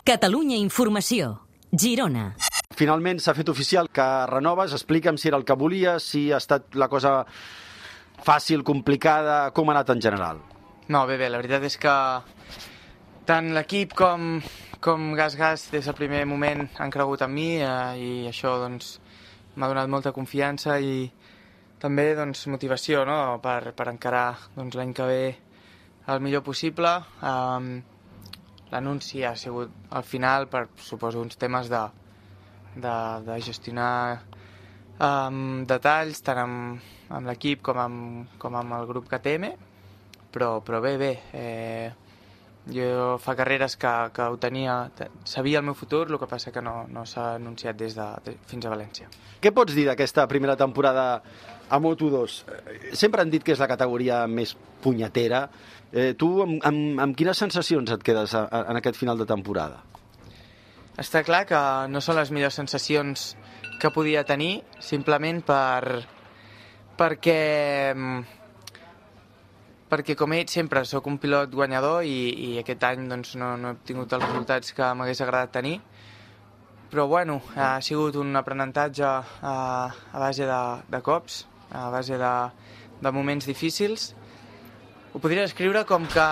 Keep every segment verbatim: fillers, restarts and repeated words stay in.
Catalunya Informació, Girona. Finalment s'ha fet oficial que renoves. Explica'm si era el que volies, si ha estat la cosa fàcil, complicada, com ha anat en general. No, bé, bé, la veritat és que tant l'equip com, com Gas Gas des del primer moment han cregut en mi eh, i això doncs m'ha donat molta confiança i també doncs, motivació, no? per, per encarar doncs, l'any que ve el millor possible. Um, L'anunci ha sigut al final per, suposo, uns temes de, de, de gestionar um, detalls tant amb, amb l'equip com amb, com amb el grup K T M, però, però bé, bé, eh, jo fa carreres que, que ho tenia, sabia el meu futur, el que passa que no, no s'ha anunciat des de, de, fins a València. Què pots dir d'aquesta primera temporada a Moto dos? Sempre han dit que és la categoria més punyetera. Eh, tu amb, amb, amb quines sensacions et quedes a, a, en aquest final de temporada? Està clar que no són les millors sensacions que podia tenir, simplement per, perquè, perquè com he dit sempre, sóc un pilot guanyador i, i aquest any doncs, no, no he tingut els resultats que m'hagués agradat tenir. Però bueno, ha sigut un aprenentatge a, a base de, de cops, a base de, de moments difícils. Ho podria descriure com que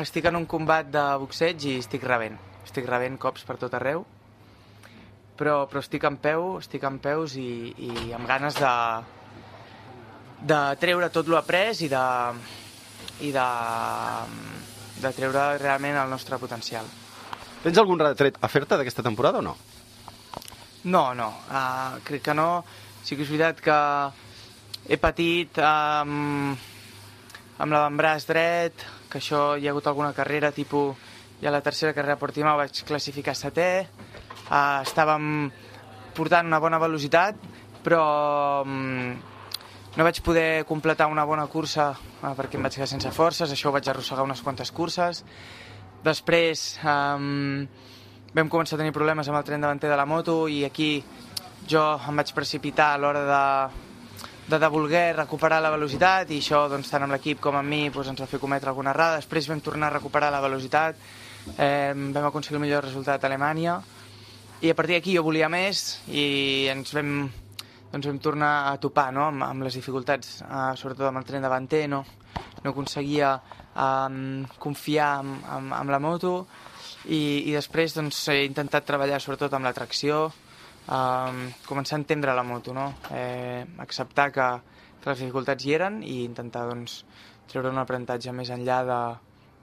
estic en un combat de boxeig i estic rebent. Estic rebent cops per tot arreu, però, però estic en peu, estic en peus i, i amb ganes de, de treure tot l'après i de, i de, de treure realment el nostre potencial. Tens algun retret a fer-te d'aquesta temporada o no? No, no, uh, crec que no. Sí que és veritat que he patit um, amb l'avantbraç dret, que això hi ha hagut alguna carrera, tipus, ja la tercera carrera a Portimao vaig classificar setè, uh, estàvem portant una bona velocitat, però um, no vaig poder completar una bona cursa uh, perquè em vaig quedar sense forces, això ho vaig arrossegar unes quantes curses. Després um, vam començar a tenir problemes amb el tren davanter de la moto i aquí jo em vaig precipitar a l'hora de, de, de voler recuperar la velocitat i això doncs, tant amb l'equip com amb mi doncs, ens va fer cometre alguna errada. Després vam tornar a recuperar la velocitat, eh, vam aconseguir el millor resultat a Alemanya i a partir d'aquí jo volia més i ens vam, doncs, vam tornar a topar no? amb, amb les dificultats, eh, sobretot amb el tren davanter, no, no aconseguia eh, confiar en, en, en la moto i, i després doncs, he intentat treballar sobretot amb la tracció, Uh, començar a entendre la moto, no? eh, acceptar que, que les dificultats hi eren i intentar doncs, treure un aprenentatge més enllà de,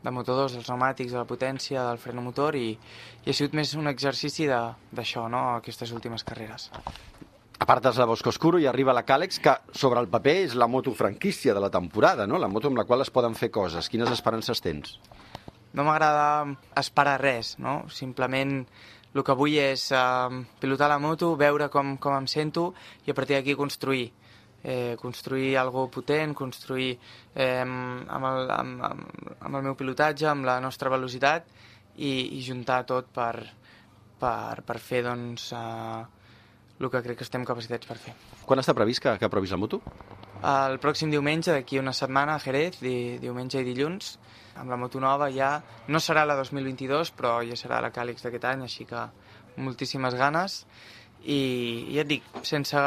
de Moto dos, dels pneumàtics, de la potència, del freno motor i, i ha sigut més un exercici d'això, no? Aquestes últimes carreres. Apartes la Bosco Oscuro i arriba la Càlex, que sobre el paper és la moto franquícia de la temporada, no? La moto amb la qual es poden fer coses. Quines esperances tens? No m'agrada esperar res, no? Simplement el que vull és eh, pilotar la moto, veure com, com em sento i a partir d'aquí construir. Eh, construir alguna cosa potent, construir eh, amb, el, amb, amb el meu pilotatge, amb la nostra velocitat i, i juntar tot per, per, per fer doncs, eh, el que crec que estem capacitats per fer. Quan està previst que, que provis la moto? El pròxim diumenge, d'aquí una setmana, a Jerez, di, diumenge i dilluns, amb la moto nova ja, no serà la dos mil vint-i-dos, però ja serà la Càlix d'aquest any, així que moltíssimes ganes. I, i ja et dic, sense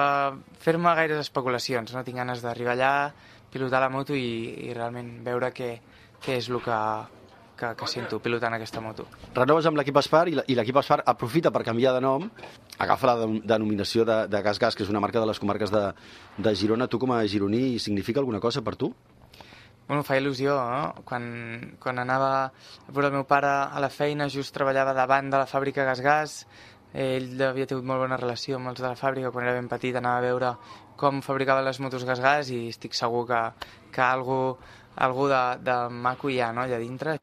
fer-me gaires especulacions, no tinc ganes d'arribar allà, pilotar la moto i, i realment veure què, què és el que, que, que sento pilotant aquesta moto. Renoves amb l'equip Aspar i l'equip Aspar aprofita per canviar de nom, agafa la denominació de, de Gas Gas, que és una marca de les comarques de, de Girona. Tu com a gironí significa alguna cosa per tu? Bueno, fa il·lusió, no? Quan, quan anava a veure el meu pare a la feina, just treballava davant de la fàbrica Gas Gas, ell havia tingut molt bona relació amb els de la fàbrica, quan era ben petit anava a veure com fabricaven les motos Gas Gas i estic segur que, que algú, algú de, de maco hi ha, no? Allà dintre.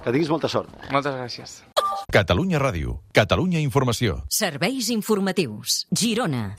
Que tinguis molta sort. Moltes gràcies. Catalunya Ràdio, Catalunya Informació. Serveis informatius, Girona.